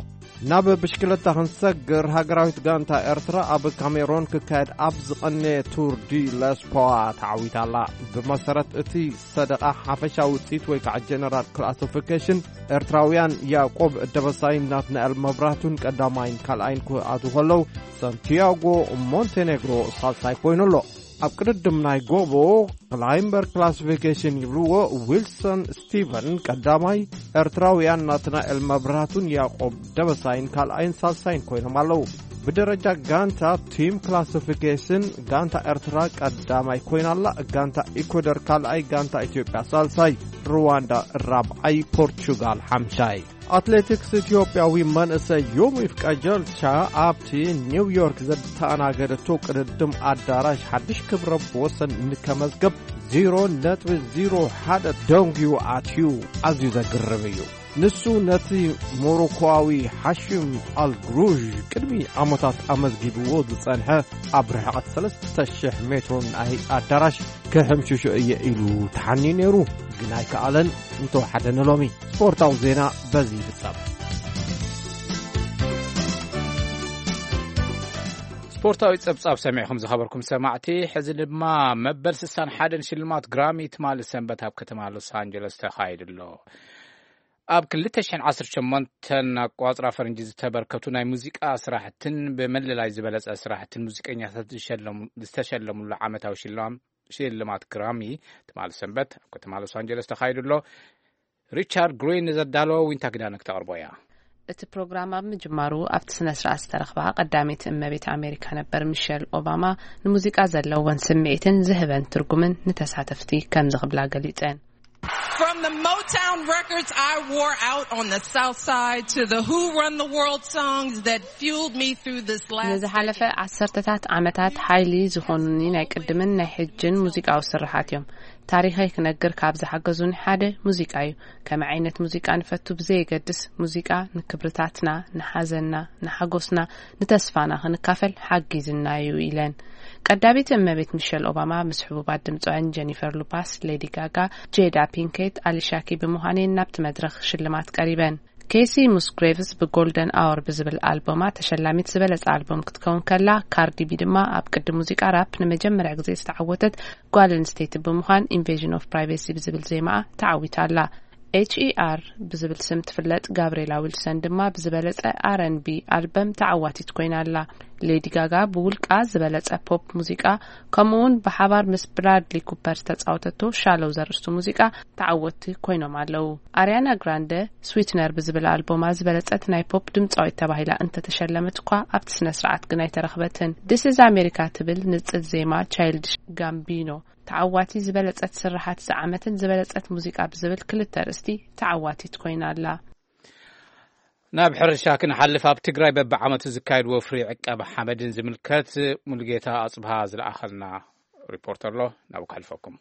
ናብ ብሽክለታ ክንሰግር፣ ሃገራዊት ጋንታ ኤርትራ ኣብ ካሜሮን ክካየድ ኣብ ዝቐነየ ቱር ዲ ለስፖዋ ተዓዊታ ኣላ። ብመሰረት እቲ ሰደቓ፣ ሓፈሻዊ ውጽኢት ወይ ከዓ ጀነራል ክላሲፊኬሽን፣ ኤርትራውያን ያዕቆብ ደበሳይን ናትናኤል መብራህቱን ቀዳማይን ካልኣይን ክኣትዉ ከለዉ፣ ሳንቲያጎ ሞንቴኔግሮ ሳልሳይ ኮይኑ ኣሎ። ኣብ ቅድድም ናይ ጎቦ ክላይምበር ክላሲፊኬሽን ይብልዎ፣ ዊልሰን ስቲቨን ቀዳማይ፣ ኤርትራውያን ናትናኤል መብራህቱን ያዕቆብ ደበሳይን ካልኣይን ሳልሳይን ኮይኖም ኣለዉ። ብደረጃ ጋንታ ቲም ክላሲፊኬሽን፣ ጋንታ ኤርትራ ቀዳማይ ኮይና ኣላ፣ ጋንታ ኢኳዶር ካልኣይ፣ ጋንታ ኢትዮጵያ ሳልሳይ፣ ሩዋንዳ ራብዓይ፣ ፖርቹጋል ሓምሻይ። ኣትሌቲክስ፣ ኢትዮጵያዊ መንእሰይ ዮሚፍ ቀጀልቻ ኣብቲ ኒውዮርክ ዘተኣናገደቶ ቅድድም ኣዳራሽ ሓድሽ ክብረ ወሰን ንከመዝገብ ዜሮ ነጥቢ ዜሮ ሓደ ደንጉዩ ኣትዩ። ኣዝዩ ዘግርም እዩ። ንሱ ነቲ ሞሮኮዊ ሓሺም ኣልግሩዥ ቅድሚ ዓመታት ኣመዝጊብዎ ዝጸንሐ ኣብ ርሕቐት ሰለስተ ሽሕ ሜትሮ ናይ ኣዳራሽ ክሕምሽሾ እየ ኢሉ ተሓንዩ ነይሩ፣ ግን ኣይከኣለን። እንተወሓደ ንሎሚ ስፖርታዊ ዜና በዚ ይፍጸም። ስፖርታዊ ጸብጻብ ሰሚዕኹም ዝኸበርኩም ሰማዕቲ፣ ሕዚ ድማ መበል ስሳን ሓደን ሽልማት ግራሚ ትማሊ ሰንበት ኣብ ከተማ ሎስ ኣንጀለስ ተኻይዱ ኣሎ። ኣብ ክልተ ሽሕን ዓሰርተ ሸሞንተን ኣቋጽራ ፈረንጂ ዝተበርከቱ ናይ ሙዚቃ ስራሕትን ብመለላይ ዝበለጸ ስራሕትን ሙዚቀኛታት ዝሸለሙ-፣ ዝተሸለሙሉ ዓመታዊ ሽልማም-፣ ሽልማት ግራሚ ትማሊ ሰንበት ኣብ ከተማ ሎስ ኣንጀለስ ተኻይዱ ኣሎ። ሪቻርድ ግሪን ንዘዳለዎ ዊንታ ግዳነ ክተቕርቦ እያ። እቲ ፕሮግራም ኣብ ምጅማሩ ኣብቲ ስነ ስርዓት ዝተረኽባ ቀዳመይቲ እመቤት ኣሜሪካ ነበር ሚሸል ኦባማ ንሙዚቃ ዘለወን ስምዒትን ዝህበን ትርጉምን ንተሳተፍቲ ከምዚ ክብላ ገሊጸን። From the Motown records I wore out on the South Side to the Who Run the World songs that fueled me through this last ንዝሓለፈ decade. ዓሰርተታት ዓመታት ሓይሊ ዝኾኑኒ ናይ ቅድምን ናይ ሕጅን ሙዚቃዊ ስርሓት እዮም። ታሪኸይ ክነግር ካብ ዝሓገዙኒ ሓደ ሙዚቃ እዩ። ከመይ ዓይነት ሙዚቃ ንፈቱ ብዘየገድስ፣ ሙዚቃ ንክብርታትና፣ ንሓዘንና፣ ንሓጎስና፣ ንተስፋና ክንካፈል ሓጊዝና እዩ ኢለን። ቀዳሚት እመቤት ሚሸል ኦባማ ምስ ሕቡባት ድምፃውያን ጀኒፈር ሉፓስ፣ ሌዲ ጋጋ፣ ጄዳ ፒንኬት፣ ኣሊሻ ኪ ብምዃነን ናብቲ መድረኽ ሽልማት ቀሪበን። ኬሲ ሙስግሬቭስ ብጎልደን ኣወር ብዝብል ኣልቦማ ተሸላሚት ዝበለጸ ኣልቦም ክትከውን ከላ፣ ካርዲ ቢ ድማ ኣብ ቅዲ ሙዚቃ ራፕ ንመጀመርያ ግዜ ዝተዓወተት ጓል ኣንስተይቲ ብምዃን ኢንቬዥን ኦፍ ፕራይቬሲ ብዝብል ዜማኣ ተዓዊታ ኣላ። ኤች ኢ ኣር ብዝብል ስም ትፍለጥ ጋብርኤላ ዊልሰን ድማ ብዝበለጸ ኣር ኤን ቢ ኣልበም ተዓዋቲት ኮይና ኣላ። ሌዲ ጋጋ ብውልቃ ዝበለጸ ፖፕ ሙዚቃ፣ ከምኡውን ብሓባር ምስ ብራድሊ ኩፐር ዝተጻወተቶ ሻሎው ዘርእስቱ ሙዚቃ ተዓወትቲ ኮይኖም ኣለዉ። ኣርያና ግራንደ ስዊትነር ብዝብል ኣልቦማ ዝበለጸት ናይ ፖፕ ድምጻዊት ተባሂላ እንተተሸለመት እኳ ኣብቲ ስነ ስርዓት ግን ኣይተረኽበትን። ዲስ ኢዝ ኣሜሪካ ትብል ንጽል ዜማ ቻይልድሽ ጋምቢኖ ተዓዋቲ ዝበለጸት ስርሓት እዚ ዓመትን ዝበለጸት ሙዚቃ ብዝብል ክልተ ኣርእስቲ ተዓዋቲት ኮይና ኣላ። ናብ ሕርሻ ክንሓልፍ፣ ኣብ ትግራይ በብዓመቱ ዝካየድ ወፍሪ ዕቀባ ሓመድን ዝምልከት ሙሉጌታ ኣጽብሃ ዝለኣኸልና ሪፖርት ኣሎ፣ ናብኡ ከሕልፈኩም።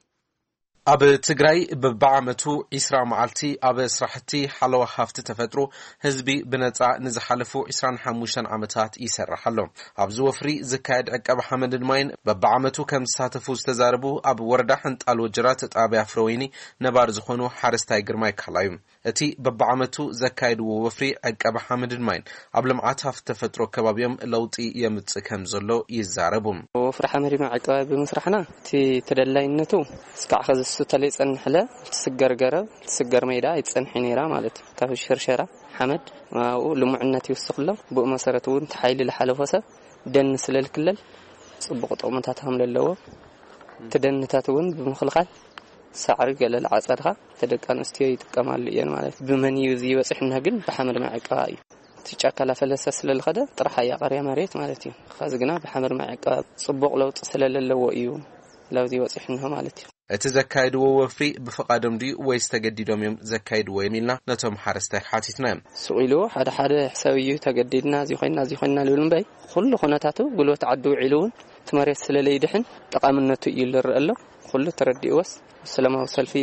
ኣብ ትግራይ በብዓመቱ ዒስራ መዓልቲ ኣብ ስራሕቲ ሓለዋ ሃፍቲ ተፈጥሮ ህዝቢ ብነጻ ንዝሓለፉ ዒስራን ሓሙሽተን ዓመታት ይሰርሕ ኣሎ። ኣብዚ ወፍሪ ዝካየድ ዕቀባ ሓመድን ማይን በብዓመቱ ከም ዝሳተፉ ዝተዛረቡ ኣብ ወረዳ ሕንጣል ወጀራት ጣብያ ፍረወይኒ ነባር ዝኾኑ ሓረስታይ ግርማይ ካሕላ እዩ። እቲ በብዓመቱ ዘካየድዎ ወፍሪ ዕቀባ ሓመድን ማይን ኣብ ልምዓት ሃፍቲ ተፈጥሮ ከባቢኦም ለውጢ የምጽእ ከም ዘሎ ይዛረቡ። ወፍሪ ሓመድ ማይ ዕቀባ ብምስራሕና እቲ ተደላይነቱ እስካዕ ኸዚ እሱ ተለይጸንሕለ፣ እቲ ስገር ገረብ፣ እቲ ስገር ሜዳ ኣይትጸንሒ ነይራ ማለት እዩ። ካብ ሽርሸራ ሓመድ ኣብኡ ልሙዕነት ይውስኽ ኣሎ። ብኡ መሰረት እውን እቲ ሓይሊ ዝሓለፎ ሰብ ደን ስለ ዝክለል ጽቡቕ ጥቕምታት ከም ዘለዎ፣ እቲ ደንታት እውን ብምኽልኻል ሳዕሪ ገለ ዝዓጸድኻ፣ እቲ ደቂ ኣንስትዮ ይጥቀማሉ እየን ማለት እዩ። ብመን እዩ እዚ ይበጽሕና ግን ብሓመድ ማይ ዕቀባ እዩ። እቲ ጫካ ላፈለሰ ስለ ዝኸደ ጥራሕ እያ ቀርያ መሬት ማለት እዩ። ኸዚ ግና ብሓመድ ማይ ዕቀባ ጽቡቕ ለውጢ ስለ ዘለዎ እዩ ላብዚ ይበጽሕና ማለት እዩ። እቲ ዘካየድዎ ወፍሪ ብፍቓዶም ድዩ ወይስ ተገዲዶም እዮም ዘካየድዎ ኢልና ነቶም ሓረስታይ ሓቲትና እዮም። ስቕ ኢሉ ሓደ ሓደ ሕሰብ እዩ ተገዲድና፣ እዚ ኮይና፣ እዚ ኮይና ልብል እምበይ፣ ኩሉ ኩነታቱ ጉልበት ዓዲ ውዒሉ እውን እቲ መሬት ስለ ለይድሕን ጠቓምነቱ እዩ ዝረአ ኣሎ። ኩሉ ተረዲእዎስ ሰላማዊ ሰልፊ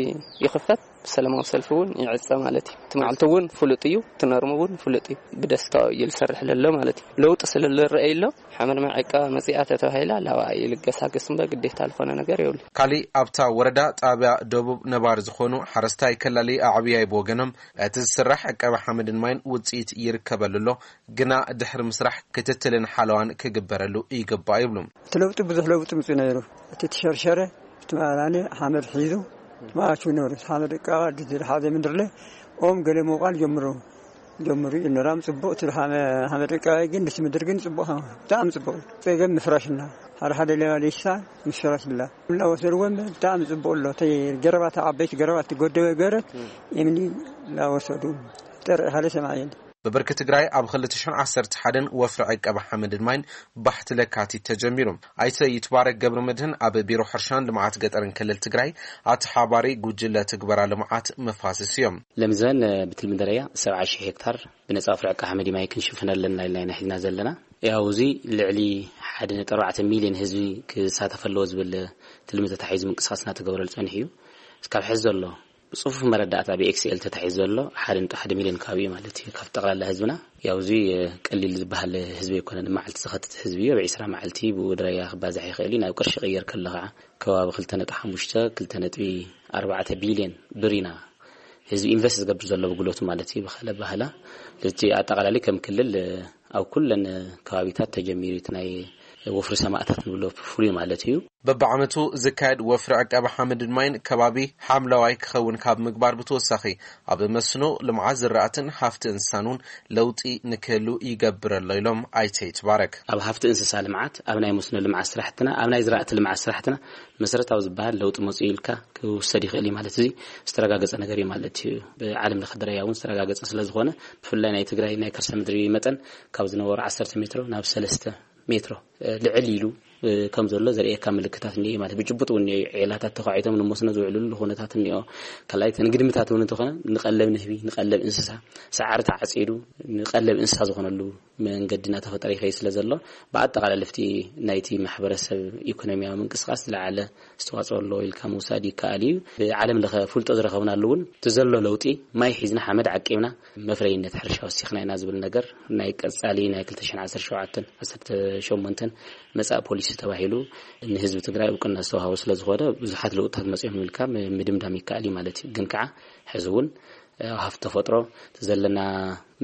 ይኽፈት፣ ሰላማዊ ሰልፊ እውን ይዕጸ ማለት እዩ። እቲ መዓልቲ እውን ፍሉጥ እዩ፣ እቲ ነርሙ እውን ፍሉጥ እዩ። ብደስታ እዩ ዝሰርሕ ለሎ ማለት እዩ። ለውጢ ስለ ዝረአይ ኣሎ፣ ሓመድ መዐቃ መጺኣ ተተባሂላ ላባ ይልገሳገስ እምበር ግዴታ ዝኾነ ነገር የብሉ። ካሊእ ኣብታ ወረዳ ጣብያ ደቡብ ነባሪ ዝኾኑ ሓረስታይ ከላሊ ኣዕብያይ ብወገኖም፣ እቲ ዝስራሕ ዕቀባ ሓመድን ማይን ውፅኢት ይርከበሉ ኣሎ፣ ግና ድሕሪ ምስራሕ ክትትልን ሓለዋን ክግበረሉ ይግባእ ይብሉ። እቲ ለውጢ ብዙሕ ለውጢ ምፅኡ ነይሩ። እቲ ትሸርሸረ እቲ መኣላኒ ሓመድ ሒዙ ማቹ ነይሩ። ሓመድ ዕቃባ ድዝድሓዘ ምድርለ ኦም ገለ ምውቃል ጀምሩ ጀምሩ እዩ ነራም ጽቡቕ። እቲ ሓመ- ሓመድ ዕቃባ ግን ድስ ምድር ግን ጽቡቕ፣ ብጣዕሚ ጽቡቕ። ጸገም ምፍራሽና ሓደ ሓደ ሌባ ሌሽሳ ምፍራሽ ብላ እናወሰድዎም ብጣዕሚ ጽቡቕ ኣሎ። ተይ ገረባት ዓበይቲ ገረባት ትጎደበ ገረት እምኒ እናወሰዱ ጠርዒ ሓደ ሰማይ የለ። ብብርኪ ትግራይ ኣብ ክልተ ሽሕን ዓሰርተ ሓደን ወፍሪ ዕቀባ ሓመድን ማይን ባሕቲ ለካቲት ተጀሚሩ። ኣይተ ይትባረክ ገብረ መድህን ኣብ ቢሮ ሕርሻን ልምዓት ገጠርን ክልል ትግራይ ኣተሓባሪ ጉጅለ ትግበራ ልምዓት መፋስስ እዮም። ለምዘን ብትልሚ ደረጃ ሰብዓ ሺሕ ሄክታር ብነጻ ወፍሪ ዕቀባ ሓመድ ማይ ክንሽፍን ኣለና ኢልና ኢና ሒዝና ዘለና። ያው እዚ ልዕሊ ሓደ ነጥቢ ኣርባዕተ ሚልዮን ህዝቢ ክሳተፍ ኣለዎ ዝብል ትልሚ ተታሒዙ ምንቅስቃስ እናተገበረሉ ጸኒሑ እዩ። እስካብ ሕዚ ዘሎ ብጽፉፍ መረዳእታ ብኤክስኤል ተታሒዙ ዘሎ ሓደ ነጥቢ ሓደ ሚልዮን ከባቢ እዩ ማለት እዩ። ካብ ጠቕላላ ህዝብና ያው እዚ ቀሊል ዝበሃል ህዝቢ ኣይኮነን። መዓልቲ ዝኸትት ህዝቢ እዩ። ኣብ ዕስራ መዓልቲ ብኡ ድረያ ክባዛሕ ይኽእል እዩ። ናብ ቅርሺ ቀየር ከሎ ከዓ ከባቢ ክልተ ነጥቢ ሓሙሽተ ክልተ ነጥቢ ኣርባዕተ ቢልዮን ብር ኢና ህዝቢ ኢንቨስት ዝገብር ዘሎ ብጉልበቱ ማለት እዩ። ብካለ ባህላ እቲ ኣጠቃላሊ ከም ክልል ኣብ ኩለን ከባቢታት ተጀሚሩ እቲ ናይ ወፍሪ ሰማእታት ንብሎ ፍሉይ ማለት እዩ። በብዓመቱ ዝካየድ ወፍሪ ዕቀባ ሓመድን ማይን ከባቢ ሓምለዋይ ክኸውን ካብ ምግባር ብተወሳኺ ኣብ መስኖ ልምዓት ዝራእትን ሃፍቲ እንስሳን እውን ለውጢ ንክህሉ ይገብር ኣሎ ኢሎም ኣይተ ይትባረክ። ኣብ ሃፍቲ እንስሳ ልምዓት፣ ኣብ ናይ መስኖ ልምዓት ስራሕትና፣ ኣብ ናይ ዝራእቲ ልምዓት ስራሕትና መሰረታዊ ዝበሃል ለውጢ መፅኡ ኢልካ ክውሰድ ይኽእል እዩ ማለት እዚ ዝተረጋገፀ ነገር እዩ ማለት እዩ። ብዓለም ለኸ ደረጃ እውን ዝተረጋገፀ ስለ ዝኾነ ብፍላይ ናይ ትግራይ ናይ ከርሰ ምድሪ መጠን ካብ ዝነበሩ ዓሰርተ ሜትሮ ናብ ሰለስተ ሜትሮ ልዕል ኢሉ ከም ዘሎ ዘርእየካ ምልክታት እኒኦ ማለት ብጭቡጥ እውን እኒኦ። ዒላታት ተኳዒቶም ንመስኖ ዝውዕልሉ ኩነታት እኒኦ። ካልኣይ እቲ ንግድምታት እውን እንተኾነ ንቀለብ ንህቢ ንቀለብ እንስሳ ሳዕሪ ተዓፂዱ ንቀለብ እንስሳ ዝኾነሉ መንገዲ እናተፈጠረ ይኸይ ስለ ዘሎ ብኣጠቃላሊ ፍቲ ናይቲ ማሕበረሰብ ኢኮኖሚያዊ ምንቅስቃስ ዝለዓለ ዝተዋፅኦ ኣሎ ኢልካ ምውሳድ ይከኣል እዩ። ብዓለም ለኸ ፍልጦ ዝረኸብናሉ እውን እቲ ዘሎ ለውጢ ማይ ሒዝና ሓመድ ዓቂብና መፍረይነት ሕርሻ ወሲኽና ኢና ዝብል ነገር ናይ ቀፃሊ ናይ ክልተ ሽሕን ዓሰርተ ሸውዓተን ዓሰርተ ሸሞንተን መፃእ ፖሊሲ ተባሂሉ ንህዝቢ ትግራይ እውቅና ዝተዋሃቦ ስለ ዝኾነ ብዙሓት ለውጥታት መፅኦም ኢልካ ምድምዳም ይከኣል እዩ ማለት እዩ። ግን ከዓ ሕዚ እውን ሃፍቲ ተፈጥሮ እቲ ዘለና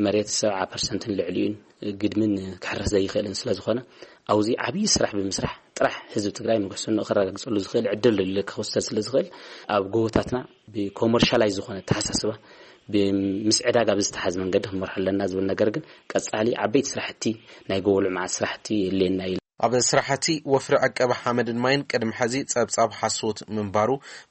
መሬት ሰብዓ ፐርሰንትን ልዕሊኡን ግድምን ክሕረስ ዘይኽእልን ስለ ዝኾነ ኣብዚ ዓብዪ ስራሕ ብምስራሕ ጥራሕ ህዝቢ ትግራይ ንጉሕስንኡ ከረጋግፀሉ ዝኽእል ዕድል ኢለ ክወሰድ ስለ ዝኽእል ኣብ ጎቦታትና ብኮመርሻላይዝ ዝኾነ ኣተሓሳስባ ምስ ዕዳጋ ብዝተሓዝ መንገዲ ክንመርሖ ኣለና ዝብል ነገር ግን ቀፃሊ ዓበይቲ ስራሕቲ ናይ ጎቦ ልምዓት ስራሕቲ የድልየና እዩ። ኣብ ስራሕቲ ወፍሪ ዕቀባ ሓመድን ማይን ቅድሚ ሕዚ ፀብፃብ ሓሶት ምንባሩ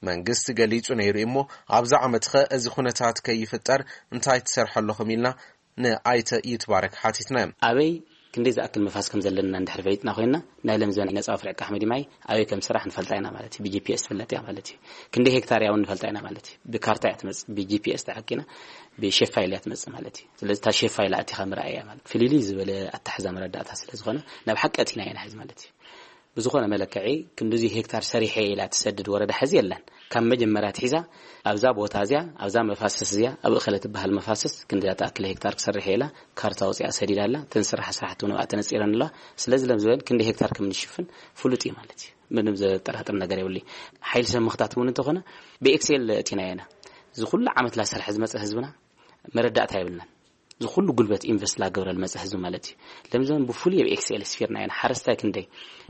መንግስቲ ገሊፁ ነይሩ እሞ ኣብዚ ዓመትኸ እዚ ኩነታት ከይፍጠር እንታይ ትሰርሑ ኣለኹም ኢልና ንኣይተ ይትባረክ ሓቲትናዮም። ኣበይ ክንደይ ዝኣክል መፋስ ከም ዘለና እንድሕር ፈሊጥና ኮይንና ናይ ለምዘን ነፃ ወፍሪ ዕቀባ ሓመድን ማይ ኣበይ ከም ስራሕ ንፈልጣ ኢና ማለት እዩ። ብጂፒኤስ ትፍለጥ እያ ማለት እዩ። ክንደይ ሄክታር እያ እውን ንፈልጣ ኢና ማለት እዩ። ብካርታ እያ ትመፅእ፣ ብጂፒኤስ ተዓቂና ብሼፍ ፋይል እያ ትመፅእ ማለት እዩ። ስለዚ እታ ሼፍ ፋይል ኣቲኻ ምርኣይ እያ ማለት ፍልልይ ዝበለ ኣተሓዛ መረዳእታ ስለ ዝኾነ ናብ ሓቂ ኣቲና ኢና ሕዚ ማለት እዩ። ብዝኾነ መለክዒ ክንድዚ ሄክታር ሰሪሐ ኢላ ትሰድድ ወረዳ ሕዚ የለን። ካብ መጀመርያ ትሒዛ ኣብዛ ቦታ እዚያ ኣብዛ መፋሰስ እዚያ ኣብ እኸለ ትበሃል መፋሰስ ክንድዛ ተኣክለ ሄክታር ክሰርሕ ኢላ ካርታ ወፂኣ ሰዲዳ ኣላ። እተን ስራሕ ስራሕቲ እውን ኣብኣ ተነፂረን ኣለዋ። ስለዚ ለምዝበን ክንዲ ሄክታር ከም ንሽፍን ፍሉጥ እዩ ማለት እዩ። ምንም ዘጠራጥር ነገር የብሉ። ሓይሊ ሰብ ምኽታት እውን እንተኾነ ብኤክስኤል እቲና ኢና እዚ ኩሉ ዓመት ላሰርሐ ዝመፀ ህዝብና መረዳእታ የብልናን። እዚ ኩሉ ጉልበት ኢንቨስት ላገብረ ልመፀ ህዝቢ ማለት እዩ። ለምዘን ብፍሉይ ኣብ ኤክስኤል ስፊርና ኢና ሓረስታይ ክንደይ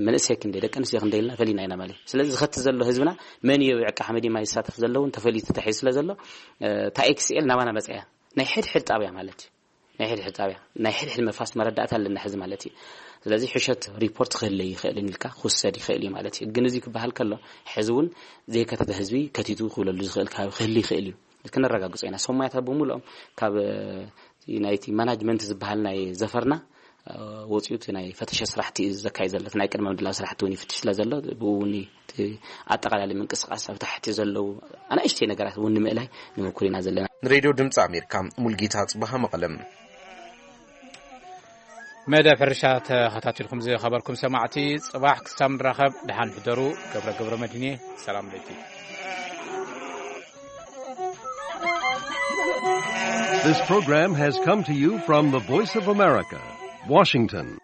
መንእሰይ ክንደይ ደቂ ኣንስትዮ ክንደይ ኢልና ፈሊና ኢና ማለት እዩ። ስለዚ ዝኸቲ ዘሎ ህዝብና መን እዩ ዕቃ ሓመድ ማይ ዝሳተፍ ዘለውን ተፈሊጡ ተሒዙ ስለ ዘሎ እታ ኤክስኤል ናባና መፀያ ናይ ሕድሕድ ጣብያ ማለት እዩ። ናይ ሕድሕድ ጣብያ ናይ ሕድሕድ መፋስ መረዳእታ ኣለና ሕዚ ማለት እዩ። ስለዚ ሕሸት ሪፖርት ክህለ ይኽእልን ኢልካ ክውሰድ ይኽእል እዩ ማለት እዩ። ግን እዚ ክበሃል ከሎ ሕዚ እውን ዘይከተተ ህዝቢ ከቲቱ ክብለሉ ዝኽእል ከባቢ ክህል ይኽእል እዩ። ክነረጋግጾ ኢና። ሰማያታት ብምሉኦም ካብ ናይቲ ማናጅመንት ዝበሃል ናይ ዘፈርና ወፂኡ እቲ ናይ ፈተሸ ስራሕቲ እዩ ዘካይድ ዘሎ። እቲ ናይ ቅድመ ምድላው ስራሕቲ እውን ይፍትሽ ስለ ዘሎ ብኡ እውን እቲ ኣጠቃላሊ ምንቅስቃስ ኣብ ታሕቲ ዘለዉ ኣናእሽተይ ነገራት እውን ንምእላይ ንምኩር ኢና ዘለና። ንሬድዮ ድምፂ ኣሜሪካ ሙልጌታ ፅባሃ መቐለም። መደብ ሕርሻ ተኸታቲልኩም ዝኸበርኩም ሰማዕቲ ፅባሕ ክሳብ ንራኸብ ደሓን ሕደሩ። ገብረ ገብረ መድህን እየ። ሰላም ለይቲ። This program has come to you from the Voice of America, Washington.